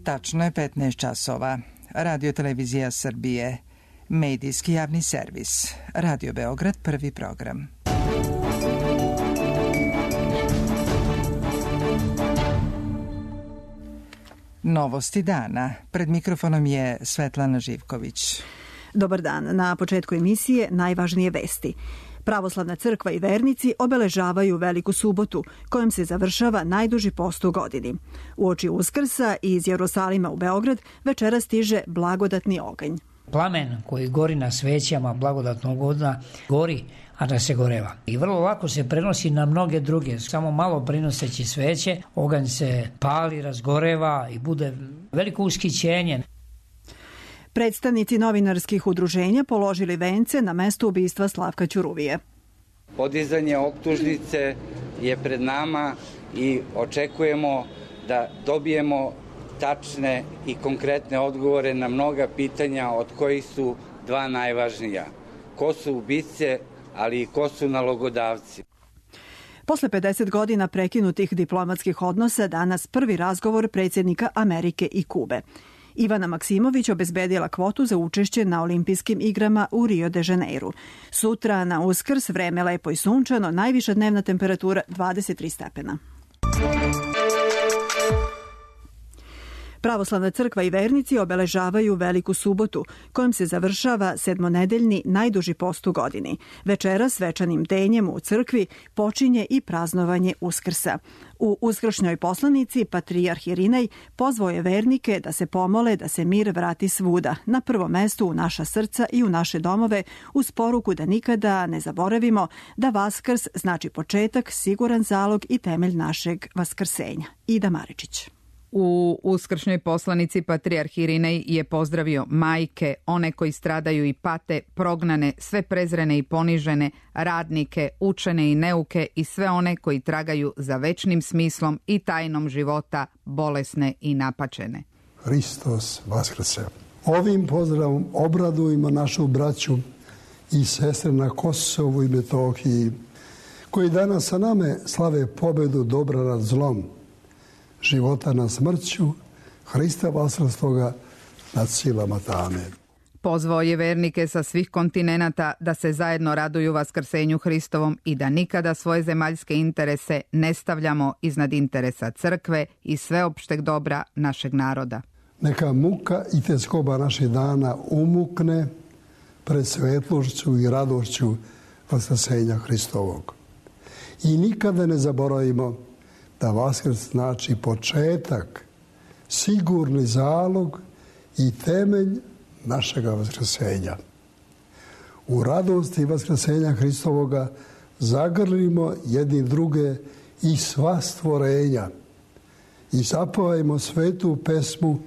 Tačno je 15 časova. Radio Televizija Srbije. Medijski javni servis. Radio Beograd, prvi program. Novosti dana. Pred mikrofonom je Svetlana Živković. Dobar dan. Na početku emisije najvažnije vesti. Pravoslavna crkva i vernici obeležavaju Veliku subotu, kojom se završava najduži post u godini. Uoči Uskrsa iz Jerusalima u Beograd večera stiže blagodatni oganj. Plamen koji gori na svećama blagodatnog ognja gori, a da se goreva. I vrlo lako se prenosi na mnoge druge. Samo malo prinoseći sveće, oganj se pali, razgoreva i bude veliko ushićenje. Predstavnici novinarskih udruženja položili vence na mesto ubistva Slavka Ćuruvije. Podizanje optužnice je pred nama i očekujemo da dobijemo tačne i konkretne odgovore na mnoga pitanja, od kojih su dva najvažnija. Ko su ubice, ali i ko su nalogodavci. Posle 50 godina prekinutih diplomatskih odnosa danas prvi razgovor predsjednika Amerike i Kube. Ivana Maksimović obezbedila kvotu za učešće na olimpijskim igrama u Rio de Janeiru. Sutra na Uskrs vreme lepo i sunčano, najviša dnevna temperatura 23 stepena. Pravoslavna crkva i vernici obeležavaju Veliku subotu, kojom se završava sedmonedeljni najduži post u godini. Večera svečanim denjem u crkvi počinje i praznovanje Uskrsa. U uskršnjoj poslanici patrijarh Irinej pozvao je vernike da se pomole da se mir vrati svuda, na prvo mesto u naša srca i u naše domove, uz poruku da nikada ne zaboravimo da Vaskrs znači početak, siguran zalog i temelj našeg vaskrsenja. Ida Maričić. U uskršnjoj poslanici patrijarh Irinej je pozdravio majke, one koji stradaju i pate, prognane, sve prezrene i ponižene, radnike, učene i neuke i sve one koji tragaju za večnim smislom i tajnom života, bolesne i napačene. Hristos vaskrse. Ovim pozdravom obradujemo našu braću i sestre na Kosovu i Metohiji, koji danas sa nama slave pobedu dobra nad zlom, života nad smrću, Hrista vaskrstoga nad silama tame. Pozvao je vernike sa svih kontinenata da se zajedno raduju vaskrsenju Hristovom i da nikada svoje zemaljske interese ne stavljamo iznad interesa crkve i sveopšteg dobra našeg naroda. Neka muka i tjeskoba naših dana umukne pred svetlošću i radošću vaskrsenja Hristovog. I nikada ne zaboravimo da Vaskrs znači početak, sigurni zalog i temelj našega vaskrsenja. U radosti vaskrsenja Hristovoga zagrlimo jedni druge i sva stvorenja i zapevajmo svetu pesmu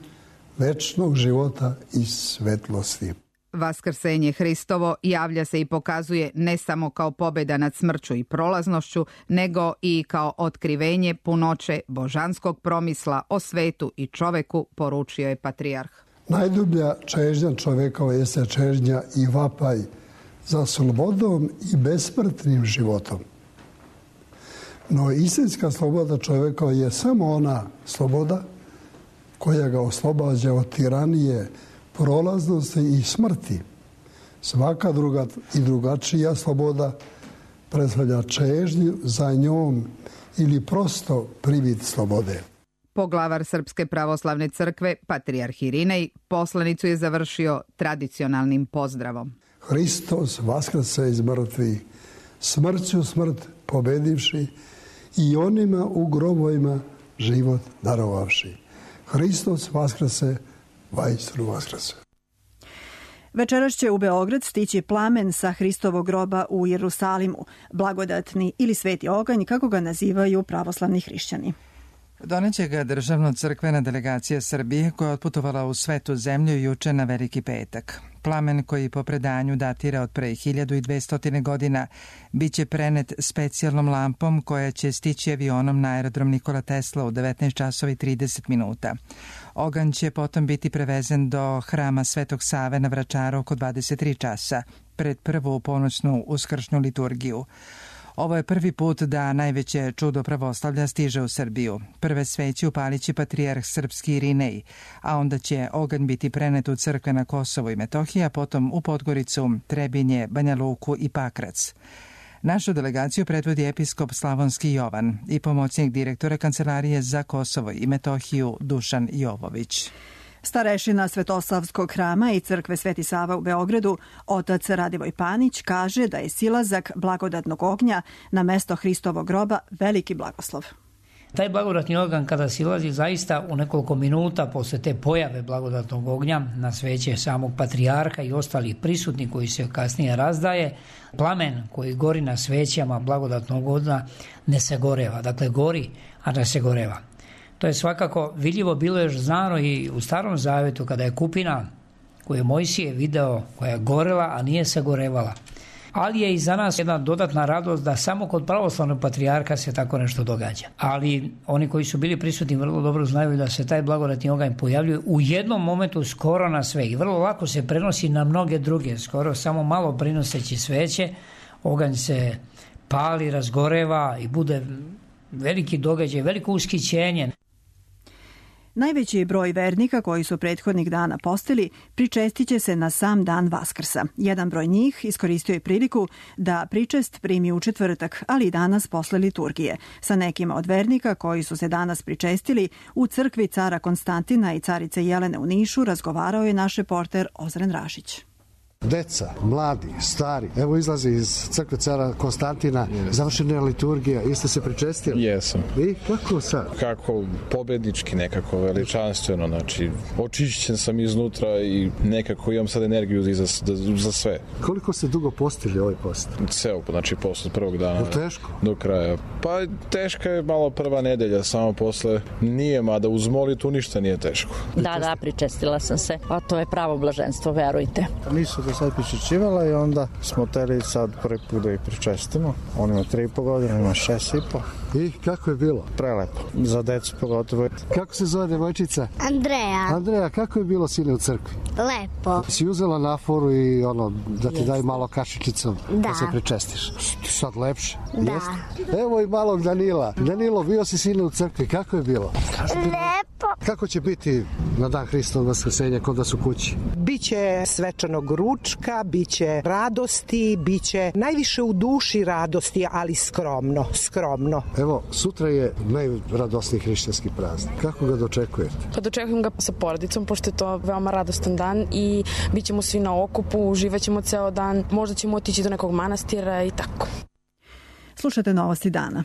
večnog života i svetlosti. Vaskrsenje Hristovo javlja se i pokazuje ne samo kao pobjeda nad smrću i prolaznošću, nego i kao otkrivenje punoće božanskog promisla o svetu i čoveku, poručio je patrijarh. Najdublja čežnja čovekova jeste čežnja i vapaj za slobodom i besmrtnim životom. No istinska sloboda čovekova je samo ona sloboda koja ga oslobađa od tiranije, prolaznosti i smrti. Svaka druga i drugačija sloboda predstavlja čežnju za njom ili prosto privid slobode. Poglavar Srpske pravoslavne crkve, patrijarh Irinej, poslanicu je završio tradicionalnim pozdravom. Hristos vaskrse iz mrtvih, smrću smrt pobedivši i onima u grobovima život darovavši. Hristos vaskrse, vajstru vaskrse. Večeras će u Beograd stići plamen sa Hristovog groba u Jerusalimu, blagodatni ili sveti oganj, kako ga nazivaju pravoslavni hrišćani. Doneće ga državno-crkvena delegacija Srbije koja je otputovala u svetu zemlju juče na Veliki petak. Plamen koji po predanju datira od pre 1200 godina biće prenet specijalnom lampom koja će stići avionom na aerodrom Nikola Tesla u 19 časova i 30 minuta. Oganj će potom biti prevezen do hrama Svetog Save na Vračaru oko 23 časa pred prvu ponoćnu uskršnju liturgiju. Ovo je prvi put da najveće čudo pravoslavlja stiže u Srbiju. Prve sveće upalit će patrijarh srpski Irinej, a onda će oganj biti prenet u crkve na Kosovo i Metohiji, a potom u Podgoricu, Trebinje, Banja Luku i Pakrac. Našu delegaciju predvodi episkop Slavonski Jovan i pomoćnik direktora Kancelarije za Kosovo i Metohiju Dušan Jovović. Starešina Svetosavskog hrama i crkve Sveti Sava u Beogradu, otac Radivoj Panić, kaže da je silazak blagodatnog ognja na mesto Hristovog groba veliki blagoslov. Taj blagodatni oganj kada silazi zaista u nekoliko minuta posle te pojave blagodatnog ognja na sveće samog patrijarha i ostalih prisutnih koji se kasnije razdaje, plamen koji gori na svećama blagodatnog ognja ne se goreva. Dakle, gori, a ne se goreva. To je svakako vidljivo bilo još znano i u Starom Zavetu kada je kupina koju je Mojsije video, koja je gorela, a nije se gorevala. Ali je i za nas jedna dodatna radost da samo kod pravoslavnog patrijarha se tako nešto događa. Ali oni koji su bili prisutni vrlo dobro znaju da se taj blagodatni oganj pojavljuje u jednom momentu skoro na sve i vrlo lako se prenosi na mnoge druge, skoro samo malo prinoseći sveće, oganj se pali, razgoreva i bude veliki događaj, veliko ushićenje. Najveći broj vernika koji su prethodnih dana postili pričestit će se na sam dan Vaskrsa. Jedan broj njih iskoristio je priliku da pričest primi u četvrtak, ali i danas posle liturgije. Sa nekima od vernika koji su se danas pričestili u crkvi cara Konstantina i carice Jelene u Nišu razgovarao je naš reporter Ozren Rašić. Deca, mladi, stari, evo izlazi iz crkve cara Konstantina, završena je liturgija, jeste se pričestili? Jesam. I kako sad? Kako pobednički, nekako veličanstveno, znači očišćen sam iznutra i nekako imam sad energiju za sve. Koliko ste dugo postili ovaj post? Ceo, znači posle prvog dana. Teško? Do kraja. Pa teška je malo prva nedelja, samo posle nije, mada uz molitu ništa nije teško. Da, pričestila sam se, a to je pravo blaženstvo, verujte. Nisu do sad pričešćivala i onda smo teli sad prvi put da ih pričestimo. On ima 3,5 godine, ima 6,5. I kako je bilo? Prelepo, za decu pogotovo. Kako se zove devojčica? Andreja. Andreja, kako je bilo sine u crkvi? Lepo. Si uzela naforu i da ti daj malo kašičicom da se pričestiš? Sad lepše? Da. Jeste? Evo i malog Danila. Danilo, bio si sine u crkvi, kako je bilo? Lepo. Kako će biti na dan Hristovog vaskrsenja kod vas u kući? Biće svečanog ručka, biće radosti, biće najviše u duši radosti, ali skromno. Evo, sutra je najradosniji hrišćanski praznik. Kako ga dočekujete? Pa dočekujem ga sa porodicom, pošto je to veoma radostan dan i bit ćemo svi na okupu, uživat ćemo ceo dan, možda ćemo otići do nekog manastira i tako. Slušate novosti dana.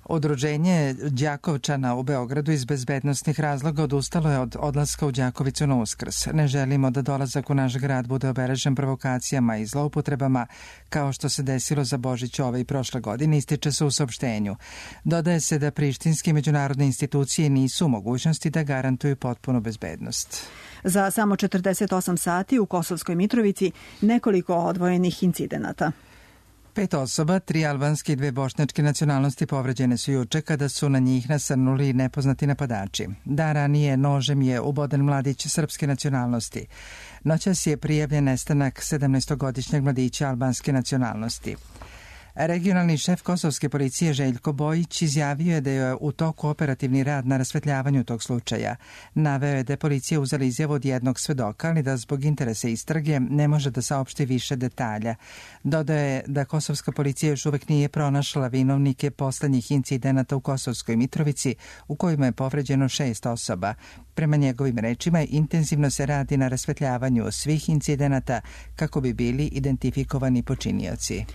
Udruženje Đakovčana u Beogradu iz bezbednostnih razloga odustalo je od odlaska u Đakovicu na Uskrs. Ne želimo da dolazak u naš grad bude obeležen provokacijama i zloupotrebama, kao što se desilo za Božić ove i prošle godine, ističe se u saopštenju. Dodaje se da prištinske međunarodne institucije nisu u mogućnosti da garantuju potpunu bezbednost. Za samo 48 sati u Kosovskoj Mitrovici nekoliko odvojenih incidenata. 5 osoba, 3 albanske i 2 bošnjačke nacionalnosti povređene su juče kada su na njih nasrnuli nepoznati napadači. Dan ranije nožem je uboden mladić srpske nacionalnosti. Noćas je prijavljen nestanak 17-godišnjeg mladića albanske nacionalnosti. Regionalni šef kosovske policije Željko Bojić izjavio je da je u toku operativni rad na rasvetljavanju tog slučaja. Naveo je da je policija uzela izjavu od jednog svedoka, ali da zbog interesa istrage ne može da saopšti više detalja. Dodao je da kosovska policija još uvek nije pronašla vinovnike poslednjih incidenata u Kosovskoj Mitrovici, u kojima je povređeno 6 osoba. Prema njegovim rečima, intenzivno se radi na rasvetljavanju svih incidenata kako bi bili identifikovani počinioci.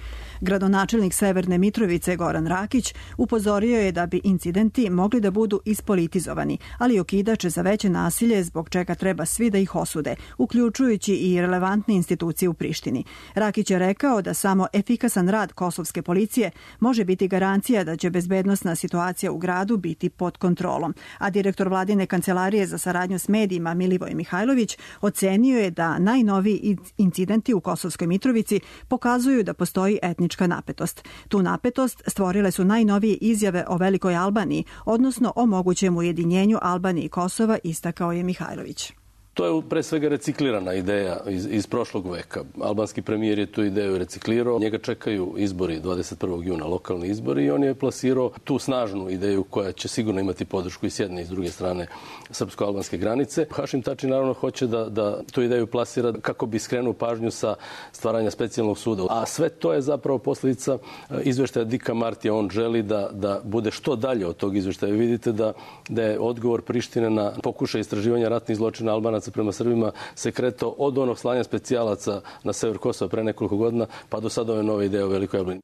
Gradonačelnik Severne Mitrovice Goran Rakić upozorio je da bi incidenti mogli da budu ispolitizovani, ali okidače za veće nasilje zbog čega treba svi da ih osude, uključujući i relevantne institucije u Prištini. Rakić je rekao da samo efikasan rad kosovske policije može biti garancija da će bezbednosna situacija u gradu biti pod kontrolom, a direktor vladine kancelarije za saradnju s medijima Milivoj Mihajlović ocenio je da najnoviji incidenti u Kosovskoj Mitrovici pokazuju da postoji etnička napetost. Tu napetost stvorile su najnovije izjave o Velikoj Albaniji, odnosno o mogućem ujedinjenju Albanije i Kosova, istakao je Mihajlović. To je pre svega reciklirana ideja iz prošlog veka. Albanski premijer je tu ideju reciklirao. Njega čekaju izbori 21. juna, lokalni izbori, i on je plasirao tu snažnu ideju koja će sigurno imati podršku i s jedne i s druge strane srpsko-albanske granice. Hašim Tači naravno hoće da tu ideju plasira kako bi skrenuo pažnju sa stvaranja specijalnog suda. A sve to je zapravo posljedica izveštaja Dika Martija. On želi da bude što dalje od tog izveštaja. Vidite da je odgovor Prištine na pokušaj istraživanja ratnih zločina Albanaca prema Srbima se kretao od onog slanja specijalaca na sever Kosova pre nekoliko godina pa do sada ove nove ideje o Velikoj Jablani.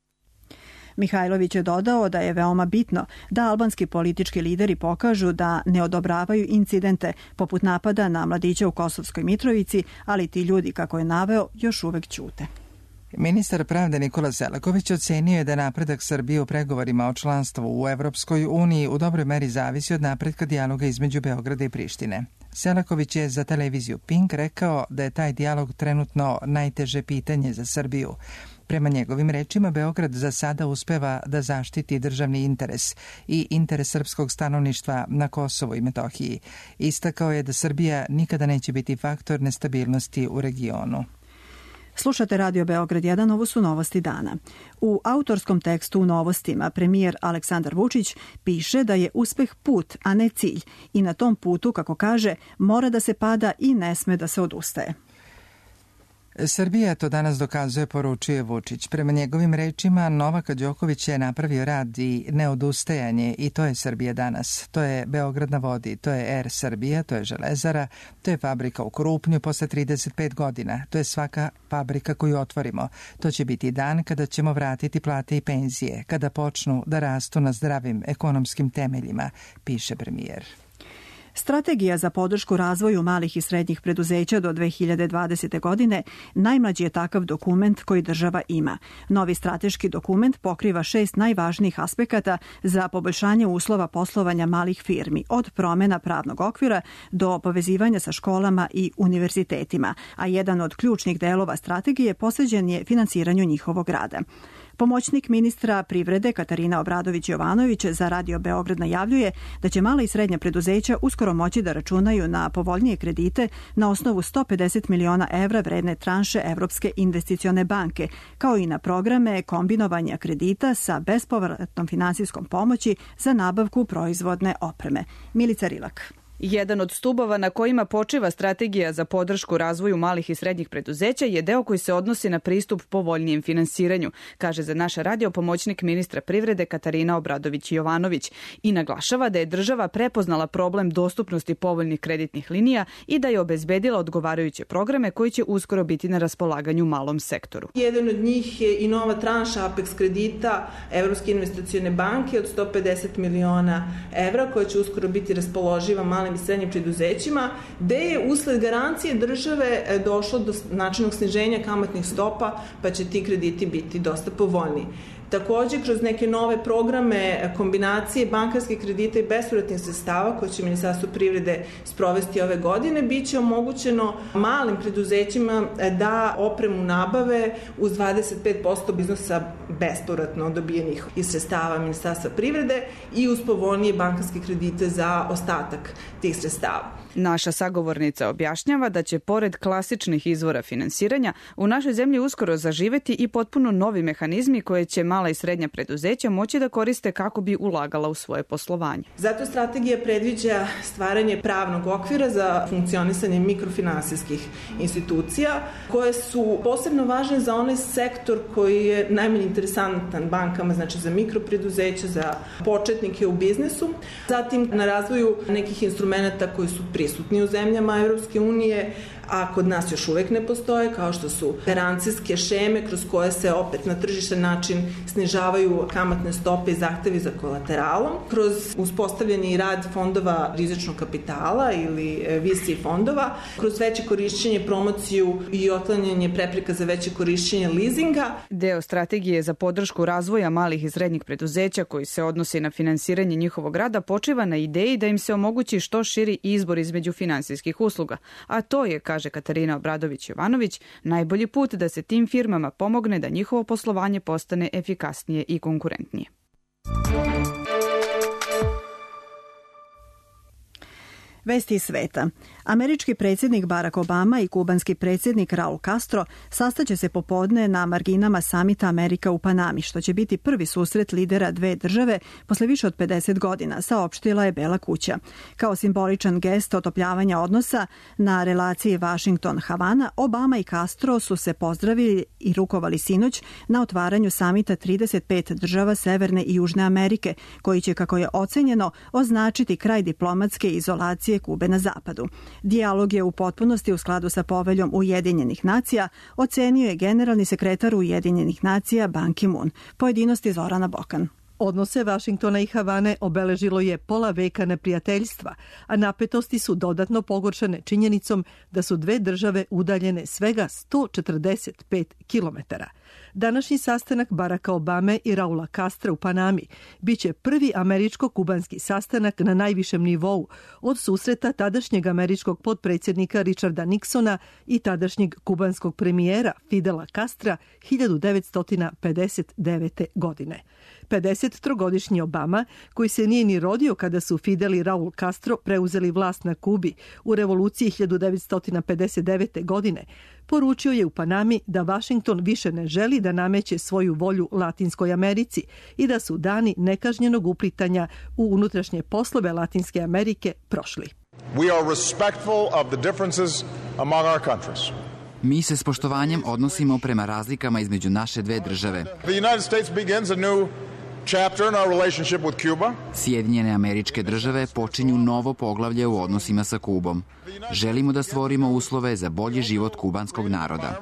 Mihajlović je dodao da je veoma bitno da albanski politički lideri pokažu da ne odobravaju incidente poput napada na mladića u Kosovskoj Mitrovici, ali ti ljudi, kako je naveo, još uvek ćute. Ministar pravde Nikola Selaković ocenio je da napredak Srbije u pregovorima o članstvu u Evropskoj uniji u dobroj meri zavisi od napretka dijaloga između Beograda i Prištine. Selaković je za televiziju Pink rekao da je taj dijalog trenutno najteže pitanje za Srbiju. Prema njegovim rečima, Beograd za sada uspeva da zaštiti državni interes i interes srpskog stanovništva na Kosovu i Metohiji. Istakao je da Srbija nikada neće biti faktor nestabilnosti u regionu. Slušate Radio Beograd 1, ovo su novosti dana. U autorskom tekstu u Novostima premijer Aleksandar Vučić piše da je uspeh put, a ne cilj, i na tom putu, kako kaže, mora da se pada i ne sme da se odustaje. Srbija to danas dokazuje, poručuje Vučić. Prema njegovim rečima, Novak Đoković je napravio rad i neodustajanje i to je Srbija danas. To je Beograd na vodi, to je Air Srbija, to je Železara, to je fabrika u Krupnju posle 35 godina. To je svaka fabrika koju otvorimo. To će biti dan kada ćemo vratiti plate i penzije, kada počnu da rastu na zdravim ekonomskim temeljima, piše premijer. Strategija za podršku razvoju malih i srednjih preduzeća do 2020. godine najmlađi je takav dokument koji država ima. Novi strateški dokument pokriva 6 najvažnijih aspekata za poboljšanje uslova poslovanja malih firmi, od promjena pravnog okvira do povezivanja sa školama i univerzitetima, a jedan od ključnih delova strategije posvećen je finansiranju njihovog rada. Pomoćnik ministra privrede Katarina Obradović-Jovanović za Radio Beograd najavljuje da će mala i srednja preduzeća uskoro moći da računaju na povoljnije kredite na osnovu 150 miliona evra vredne tranše Evropske investicione banke, kao i na programe kombinovanja kredita sa bespovratnom finansijskom pomoći za nabavku proizvodne opreme. Milica Rilak. Jedan od stubova na kojima počiva strategija za podršku razvoju malih i srednjih preduzeća je deo koji se odnosi na pristup povoljnijem finansiranju, kaže za naš radio pomoćnik ministra privrede Katarina Obradović-Jovanović i naglašava da je država prepoznala problem dostupnosti povoljnih kreditnih linija i da je obezbedila odgovarajuće programe koji će uskoro biti na raspolaganju malom sektoru. Jedan od njih je i nova tranša Apex kredita Evropske investicione banke od 150 miliona evra koja će uskoro biti raspoloživa malim i srednjim preduzećima, gde je usled garancije države došlo do značajnog sniženja kamatnih stopa, pa će ti krediti biti dosta povoljniji. Također, kroz neke nove programe kombinacije bankarskih kredita i bespovratnih sredstava koje će Ministarstvo privrede sprovesti ove godine, bit će omogućeno malim preduzećima da opremu nabave uz 25% iznosa bespovratno dobijenih iz sredstava Ministarstva privrede i uz povoljnije bankarske kredite za ostatak tih sredstava. Naša sagovornica objašnjava da će pored klasičnih izvora finansiranja u našoj zemlji uskoro zaživeti i potpuno novi mehanizmi koje će mala i srednja preduzeća moći da koriste kako bi ulagala u svoje poslovanje. Zato strategija predviđa stvaranje pravnog okvira za funkcionisanje mikrofinansijskih institucija koje su posebno važne za onaj sektor koji je najmanje interesantan bankama, znači za mikropreduzeća, za početnike u biznisu. Zatim na razvoju nekih instrumenta koji su prisutni u zemljama Evropske unije, a kod nas još uvek ne postoje, kao što su garancijske šeme kroz koje se opet na tržištan način snižavaju kamatne stope i zahtevi za kolateralom, kroz uspostavljanje i rad fondova rizičnog kapitala ili VC fondova, kroz veće korišćenje, promociju i otklanjanje prepreka za veće korišćenje leasinga. Deo strategije za podršku razvoja malih i srednjih preduzeća koji se odnosi na finansiranje njihovog rada počiva na ideji da im se omogući što širi izbor između finansijskih usluga, a to je, kaže Katarina Obradović-Jovanović, najbolji put da se tim firmama pomogne da njihovo poslovanje postane efikasnije i konkurentnije. Vesti iz sveta. Američki predsjednik Barack Obama i kubanski predsjednik Raul Castro sastaće se popodne na marginama samita Amerika u Panami, što će biti prvi susret lidera dve države posle više od 50 godina, saopštila je Bela kuća. Kao simboličan gest otopljavanja odnosa na relaciji Washington-Havana, Obama i Castro su se pozdravili i rukovali sinoć na otvaranju samita 35 država Severne i Južne Amerike, koji će, kako je ocenjeno, označiti kraj diplomatske izolacije Kube na zapadu. Dijalog je u potpunosti u skladu sa poveljom Ujedinjenih nacija, ocenio je generalni sekretar Ujedinjenih nacija Ban Ki-moon. Pojedinosti Zorana Bokan. Odnose Vašingtona i Havane obeležilo je pola veka neprijateljstva, a napetosti su dodatno pogoršane činjenicom da su dve države udaljene svega 145 kilometara. Današnji sastanak Baracka Obame i Raula Castra u Panami biće prvi američko-kubanski sastanak na najvišem nivou od susreta tadašnjeg američkog potpredsjednika Richarda Nixona i tadašnjeg kubanskog premijera Fidela Castra 1959. godine. 53-godišnji Obama, koji se nije ni rodio kada su Fidel i Raul Castro preuzeli vlast na Kubi u revoluciji 1959. godine, poručio je u Panami da Washington više ne želi da nameće svoju volju Latinskoj Americi i da su dani nekažnjenog uplitanja u unutrašnje poslove Latinske Amerike prošli. We are respectful of the differences among our countries. Mi se s poštovanjem odnosimo prema razlikama između naše dve države. The United States begins a new chapter in our relationship with Cuba. Sjedinjene Američke Države počinju novo poglavlje u odnosima sa Kubom. Želimo da stvorimo uslove za bolji život kubanskog naroda.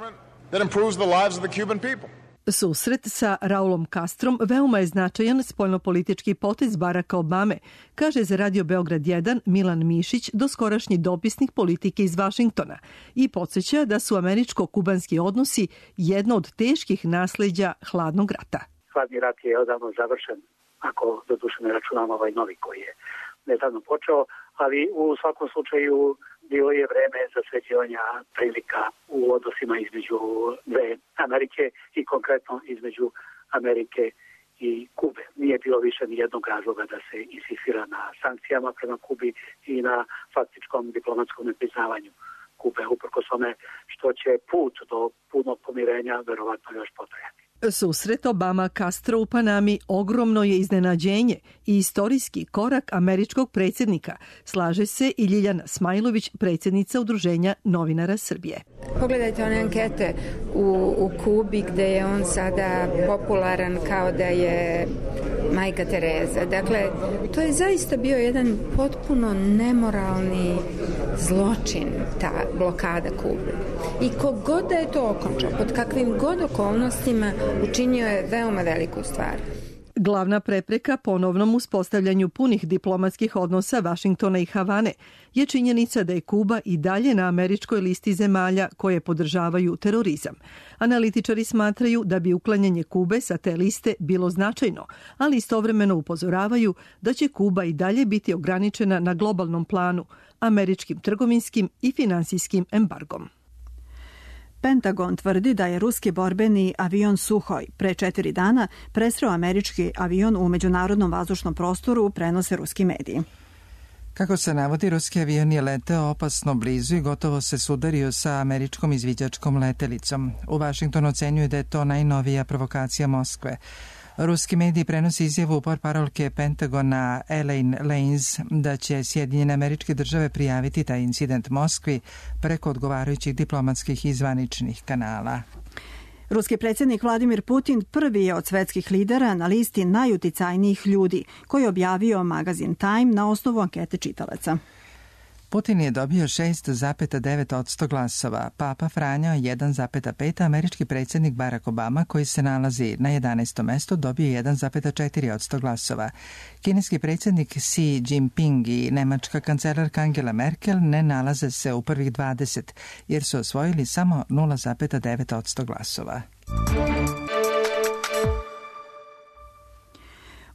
That improves the lives of the Cuban people. Susret sa Raulom Castrom veoma je značajan spoljnopolitički potez Baracka Obame, kaže za Radio Beograd 1 Milan Mišić, doskorašnji dopisnik politike iz Vašingtona, i podsjeća da su američko-kubanski odnosi jedno od teških nasleđa hladnog rata. Hladni rat je odavno završen, ako doduše ne računamo ovaj novi koji je nedavno počeo, ali u svakom slučaju bilo je vreme za sređivanja prilika u odnosima između dve Amerike i konkretno između Amerike i Kube. Nije bilo više ni jednog razloga da se insistira na sankcijama prema Kubi i na faktičkom diplomatskom nepriznavanju Kube, uprkos tome što će put do punog pomirenja verovatno još potrajati. Susret Obama-Castro u Panami ogromno je iznenađenje i istorijski korak američkog predsjednika, slaže se i Ljiljana Smajlović, predsjednica Udruženja novinara Srbije. Pogledajte one ankete u Kubi gde je on sada popularan kao da je majka Tereza. Dakle, to je zaista bio jedan potpuno nemoralni zločin, ta blokada Kube. I kogod da je to okončao, pod kakvim god okolnostima, učinio je veoma veliku stvar. Glavna prepreka ponovnom uspostavljanju punih diplomatskih odnosa Vašingtona i Havane je činjenica da je Kuba i dalje na američkoj listi zemalja koje podržavaju terorizam. Analitičari smatraju da bi uklanjanje Kube sa te liste bilo značajno, ali istovremeno upozoravaju da će Kuba i dalje biti ograničena na globalnom planu, američkim trgovinskim i finansijskim embargom. Pentagon tvrdi da je ruski borbeni avion Suhoj pre 4 dana presreo američki avion u međunarodnom vazdušnom prostoru, prenose ruski mediji. Kako se navodi, ruski avion je leteo opasno blizu i gotovo se sudario sa američkom izviđačkom letelicom. U Vašingtonu ocenjuju da je to najnovija provokacija Moskve. Ruski mediji prenosi izjavu portparolke Pentagona Elaine Lanes da će Sjedinjene Američke Države prijaviti taj incident Moskvi preko odgovarajućih diplomatskih i zvaničnih kanala. Ruski predsjednik Vladimir Putin prvi je od svetskih lidera na listi najuticajnijih ljudi, koji je objavio magazin Time na osnovu ankete čitalaca. Putin je dobio 6,9% glasova, Papa Franjo 1,5%, američki predsjednik Barack Obama, koji se nalazi na 11. mestu, dobio 1,4% glasova. Kineski predsjednik Xi Jinping i nemačka kancelarka Angela Merkel ne nalaze se u prvih 20, jer su osvojili samo 0,9% glasova.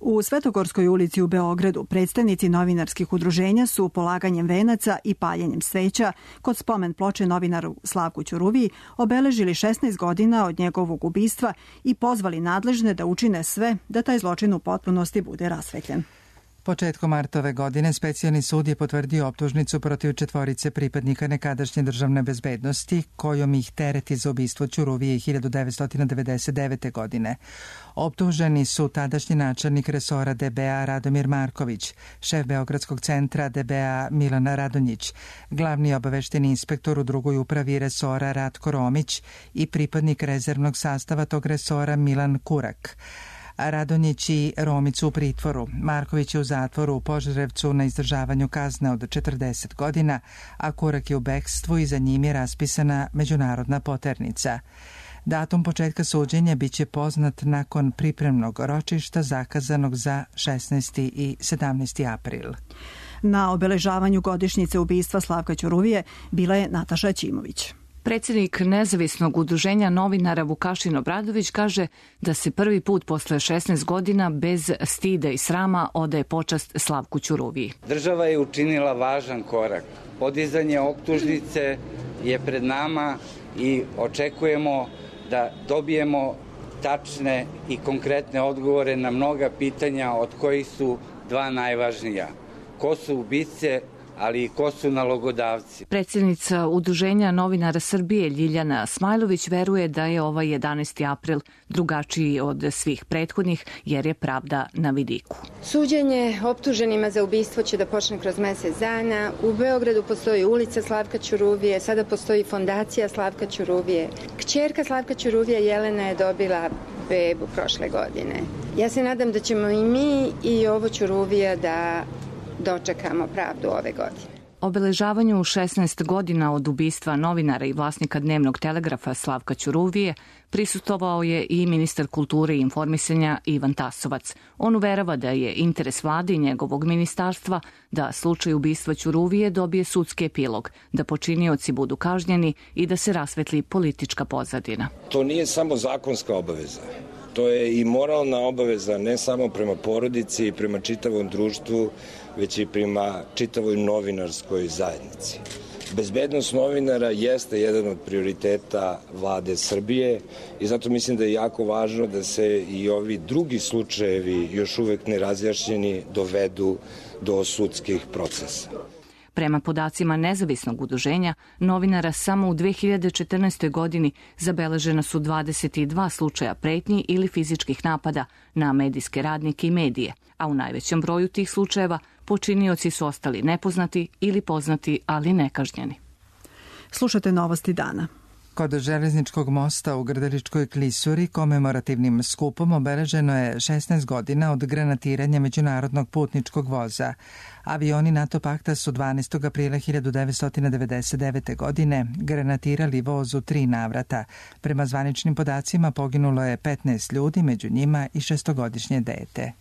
U Svetogorskoj ulici u Beogradu predstavnici novinarskih udruženja su polaganjem venaca i paljenjem sveća kod spomen ploče novinaru Slavku Ćuruviji obeležili 16 godina od njegovog ubistva i pozvali nadležne da učine sve da taj zločin u potpunosti bude rasvetljen. Početkom marta ove godine specijalni sud je potvrdio optužnicu protiv 4 pripadnika nekadašnje državne bezbednosti, kojom ih tereti za ubistvo Ćuruvije 1999. godine. Optuženi su tadašnji načelnik resora DBA Radomir Marković, šef Beogradskog centra DBA Milan Radonjić, glavni obavešteni inspektor u drugoj upravi resora Ratko Romić i pripadnik rezervnog sastava tog resora Milan Kurak. Radonjić i Romić u pritvoru. Marković je u zatvoru u Požarevcu na izdržavanju kazne od 40 godina, a Kurak je u bekstvu i za njim je raspisana međunarodna poternica. Datum početka suđenja biće poznat nakon pripremnog ročišta zakazanog za 16. i 17. april. Na obeležavanju godišnjice ubistva Slavka Ćuruvije bila je Nataša Ćimović. Predsjednik Nezavisnog udruženja novinara Vukašin Obradović kaže da se prvi put posle 16 godina bez stida i srama odaje počast Slavku Ćuruviji. Država je učinila važan korak. Podizanje optužnice je pred nama i očekujemo da dobijemo tačne i konkretne odgovore na mnoga pitanja, od kojih su dva najvažnija. Ko su ubice, ali i ko su nalogodavci. Predsjednica Udruženja novinara Srbije Ljiljana Smajlović veruje da je ovaj 11. april drugačiji od svih prethodnih, jer je pravda na vidiku. Suđenje optuženima za ubistvo će da počne kroz mesec dana. U Beogradu postoji ulica Slavka Ćuruvije, sada postoji fondacija Slavka Ćuruvije. Kćerka Slavka Ćuruvije Jelena je dobila bebu prošle godine. Ja se nadam da ćemo i mi i ovo Ćuruvija da dočekamo pravdu ove godine. Obeležavanju 16 godina od ubistva novinara i vlasnika Dnevnog telegrafa Slavka Ćuruvije prisustvovao je i ministar kulture i informisanja Ivan Tasovac. On uverava da je interes vlade i njegovog ministarstva da slučaj ubistva Ćuruvije dobije sudski epilog, da počinioci budu kažnjeni i da se rasvetli politička pozadina. To nije samo zakonska obaveza. To je i moralna obaveza, ne samo prema porodici i prema čitavom društvu, već i prema čitavoj novinarskoj zajednici. Bezbednost novinara jeste jedan od prioriteta vlade Srbije i zato mislim da je jako važno da se i ovi drugi slučajevi, još uvek nerazjašnjeni, dovedu do sudskih procesa. Prema podacima Nezavisnog udruženja novinara, samo u 2014. godini zabeležena su 22 slučaja pretnji ili fizičkih napada na medijske radnike i medije, a u najvećem broju tih slučajeva počinioci su ostali nepoznati ili poznati, ali nekažnjeni. Slušate novosti dana. Kod železničkog mosta u Grdeličkoj klisuri komemorativnim skupom obeleženo je 16 godina od granatiranja međunarodnog putničkog voza. Avioni NATO pakta su 12. aprila 1999. godine granatirali voz u 3 navrata. Prema zvaničnim podacima poginulo je 15 ljudi, među njima i 6-godišnje dete.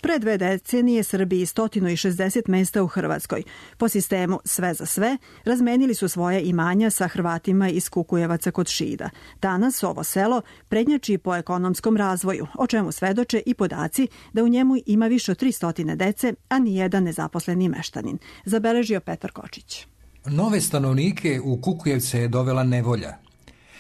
Pre 2 decenije Srbiji 160 mesta u Hrvatskoj. Po sistemu sve za sve razmenili su svoje imanja sa Hrvatima iz Kukujevaca kod Šida. Danas ovo selo prednjači po ekonomskom razvoju, o čemu svedoče i podaci da u njemu ima više od 300 dece, a nijedan nezaposleni meštanin. Zabeležio Petar Kočić. Nove stanovnike u Kukujevce je dovela nevolja.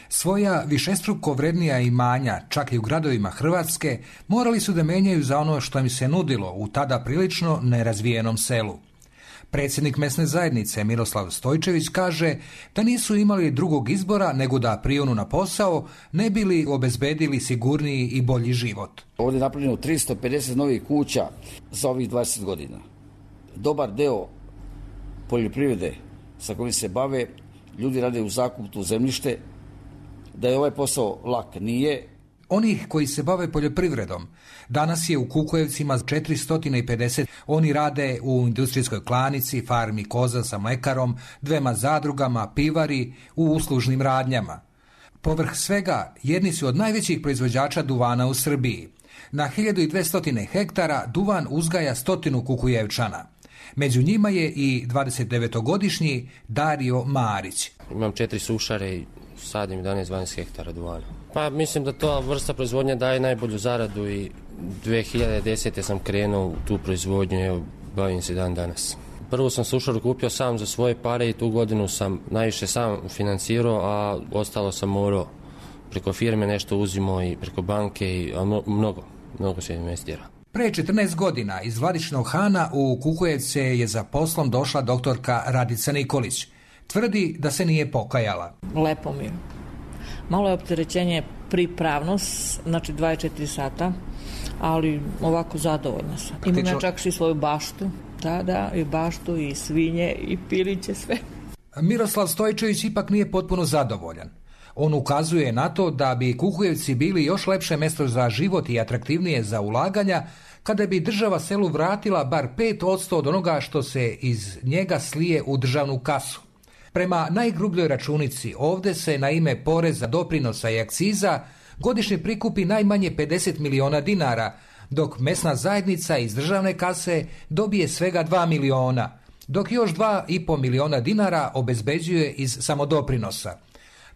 Svoja višestruko vrednija imanja, čak i u gradovima Hrvatske, morali su da menjaju za ono što im se nudilo u tada prilično nerazvijenom selu. Predsjednik mesne zajednice Miroslav Stojčević kaže da nisu imali drugog izbora nego da prionu na posao, ne bili obezbedili sigurniji i bolji život. Ovdje je napravljeno 350 novih kuća za ovih 20 godina. Dobar deo poljoprivrede sa kojim se bave, ljudi rade u zakupu zemljište. Da je ovaj posao lak, nije. Onih koji se bave poljoprivredom danas je u Kukujevcima 450. Oni rade u industrijskoj klanici, farmi koza sa mlekarom, 2 zadrugama, pivari, u uslužnim radnjama. Povrh svega, jedni su od najvećih proizvođača duvana u Srbiji. Na 1200 hektara duvan uzgaja 100 Kukujevčana. Među njima je i 29-godišnji Dario Marić. Imam 4 sušare i sadim 11-12 hektara duvana. Pa mislim da to vrsta proizvodnje daje najbolju zaradu i 2010. sam krenuo u tu proizvodnju i bavim se dan danas. Prvo sam sušaru kupio sam za svoje pare i tu godinu sam najviše sam financirao, a ostalo sam morao preko firme nešto uzimo i preko banke, a mnogo se investira. Pre 14 godina iz Vladičinog Hana u Kukujevce je za poslom došla doktorka Radica Nikolić. Tvrdi da se nije pokajala. Lepo mi je. Malo je opterećenje pripravnost, znači 24 sata, ali ovako zadovoljna sam. Imam ja čak i svoju baštu, da, i baštu, i svinje, i piliće, sve. Miroslav Stojčević ipak nije potpuno zadovoljan. On ukazuje na to da bi Kukujevci bili još lepše mesto za život i atraktivnije za ulaganja kada bi država selu vratila bar 5% od onoga što se iz njega slije u državnu kasu. Prema najgrubljoj računici, ovdje se na ime poreza, doprinosa i akciza godišnje prikupi najmanje 50 miliona dinara, dok mesna zajednica iz državne kase dobije svega 2 miliona, dok još 2,5 miliona dinara obezbeđuje iz samodoprinosa.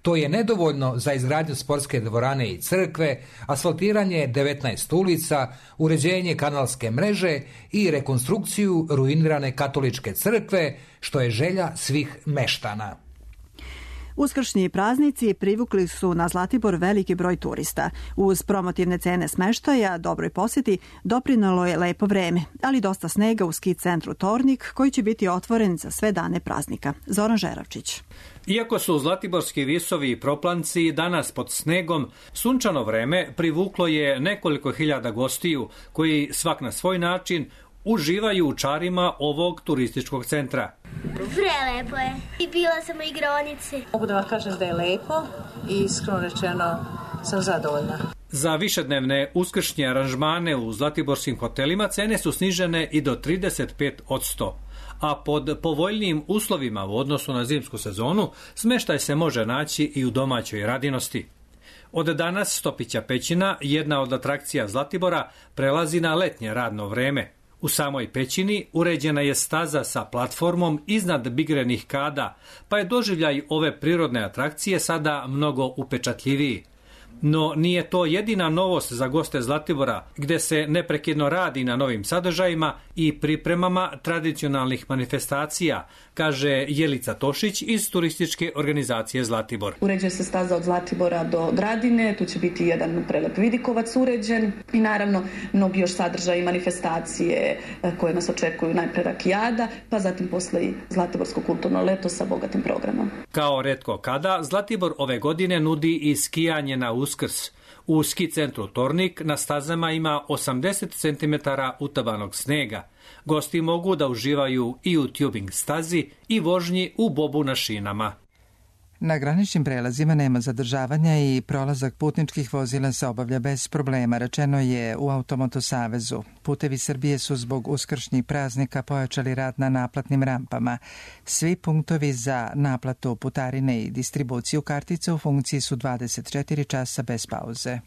To je nedovoljno za izgradnju sportske dvorane i crkve, asfaltiranje 19 ulica, uređenje kanalske mreže i rekonstrukciju ruinirane katoličke crkve, što je želja svih meštana. Uskršnji praznici privukli su na Zlatibor veliki broj turista. Uz promotivne cene smeštaja, dobroj posjeti, doprinalo je lepo vreme, ali dosta snega u ski centru Tornik, koji će biti otvoren za sve dane praznika. Zoran Žeravčić. Iako su zlatiborski visovi i proplanci danas pod snegom, sunčano vreme privuklo je nekoliko hiljada gostiju koji svak na svoj način uživaju u čarima ovog turističkog centra. Prelepo je. I bila sam u igronici. Mogu da vam kažem da je lepo i iskreno rečeno sam zadovoljna. Za višednevne uskršnje aranžmane u zlatiborskim hotelima cene su snižene i do 35%. A pod povoljnijim uslovima u odnosu na zimsku sezonu smeštaj se može naći i u domaćoj radinosti. Od danas Stopića pećina, jedna od atrakcija Zlatibora, prelazi na letnje radno vreme. U samoj pećini uređena je staza sa platformom iznad bigrenih kada, pa je doživljaj ove prirodne atrakcije sada mnogo upečatljiviji. No nije to jedina novost za goste Zlatibora, gde se neprekidno radi na novim sadržajima i pripremama tradicionalnih manifestacija, kaže Jelica Tošić iz turističke organizacije Zlatibor. Uređuje se staza od Zlatibora do Gradine, tu će biti jedan prelep vidikovac uređen i naravno mnogi još sadržaji manifestacije koje nas očekuju, najpre rakijada, pa zatim posle i Zlatiborsko kulturno leto sa bogatim programom. Kao retko kada, Zlatibor ove godine nudi i skijanje na Uskrs. U ski centru Tornik na stazama ima 80 cm utabanog snega. Gosti mogu da uživaju i u tubing stazi i vožnji u bobu na šinama. Na graničnim prelazima nema zadržavanja i prolazak putničkih vozila se obavlja bez problema, rečeno je u Automoto Savezu. Putevi Srbije su zbog uskršnjih praznika pojačali rad na naplatnim rampama. Svi punktovi za naplatu putarine i distribuciju kartica u funkciji su 24 časa bez pauze.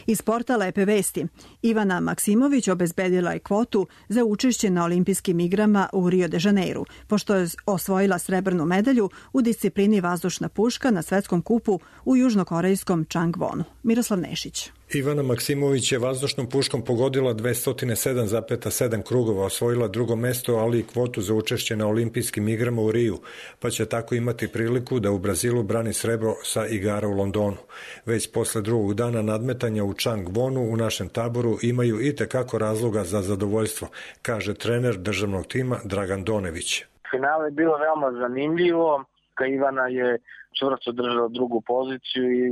Iz sporta lepe vesti. Ivana Maksimović obezbedila je kvotu za učešće na olimpijskim igrama u Rio de Janeiru, pošto je osvojila srebrnu medalju u disciplini vazdušna puška na svetskom kupu u južnokorejskom Changwonu. Miroslav Nešić. Ivana Maksimović je vazdušnom puškom pogodila 207,7 krugova, osvojila drugo mesto, ali i kvotu za učešće na olimpijskim igrama u Riju, pa će tako imati priliku da u Brazilu brani srebro sa igara u Londonu. Već posle drugog dana nadmetanja u Changwonu u našem taboru imaju i tekako razloga za zadovoljstvo, kaže trener državnog tima Dragan Donević. Finale je bilo veoma zanimljivo, Ivana je čvrsto držala drugu poziciju i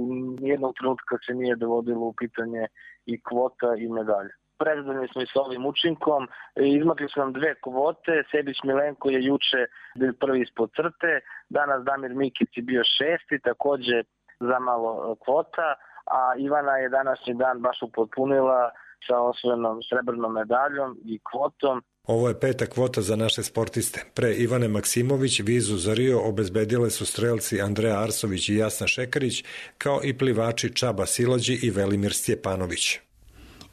nijednog trenutka se nije dovodilo u pitanje i kvota i medalja. Prezadovoljni smo i s ovim učinkom, izmakli su nam dve kvote, Sebić Milenko je juče bio prvi ispod crte, danas Damir Mikić je bio šesti, takođe za malo kvota, a Ivana je današnji dan baš upotpunila sa osvojenom srebrnom medaljom i kvotom. Ovo je peta kvota za naše sportiste. Pre Ivane Maksimović vizu za Rio obezbedile su strelci Andreja Arsović i Jasna Šekarić, kao i plivači Čaba Silađi i Velimir Stjepanović.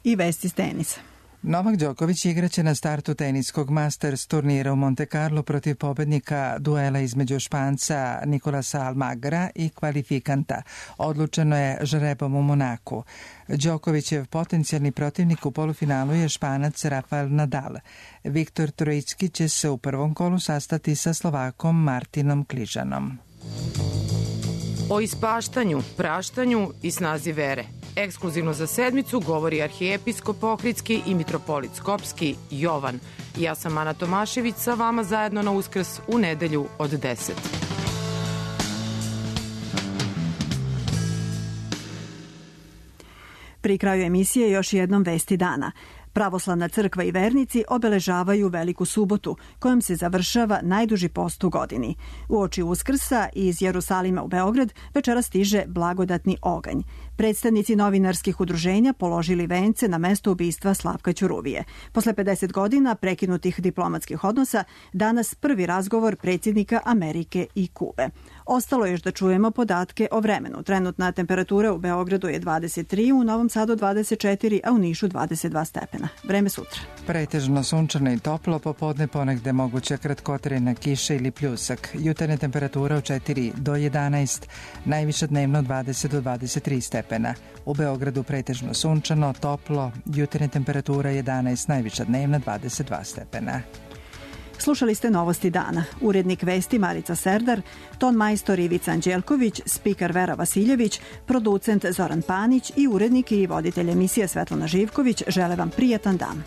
I vesti s tenisa. Novak Đoković igraće na startu teniskog Masters turnira u Monte Carlo protiv pobednika duela između Španca Nicolasa Almagra i kvalifikanta. Odlučeno je žrebom u Monaku. Đokovićev potencijalni protivnik u polufinalu je Španac Rafael Nadal. Viktor Trojicki će se u prvom kolu sastati sa Slovakom Martinom Kližanom. O ispaštanju, praštanju i snazi vere. Ekskluzivno za sedmicu govori arhijepiskop Ohridski i mitropolit Skopski Jovan. Ja sam Ana Tomašević, sa vama zajedno na Uskrs u nedelju od 10. Pri kraju emisije još jednom vesti dana. Pravoslavna crkva i vernici obeležavaju Veliku subotu, kojom se završava najduži post u godini. Uoči Uskrsa iz Jerusalima u Beograd večera stiže blagodatni oganj. Predstavnici novinarskih udruženja položili vence na mesto ubistva Slavka Ćuruvije. Posle 50 godina prekinutih diplomatskih odnosa, danas prvi razgovor predsjednika Amerike i Kube. Ostalo je još da čujemo podatke o vremenu. Trenutna temperatura u Beogradu je 23, u Novom Sadu 24, a u Nišu 22 stepena. Vreme sutra. Pretežno sunčano i toplo, popodne ponegde moguća kratkotrajna kiša ili pljusak. Jutarnja temperatura od 4 do 11, najviša dnevno 20 do 23 stepena. U Beogradu pretežno sunčano, toplo, jutarnja temperatura 11, najviša dnevna 22 stepena. Slušali ste Novosti dana. Urednik vesti Marica Serdar, ton majstor Ivica Anđelković, spiker Vera Vasiljević, producent Zoran Panić i urednik i voditelj emisije Svetlana Živković žele vam prijatan dan.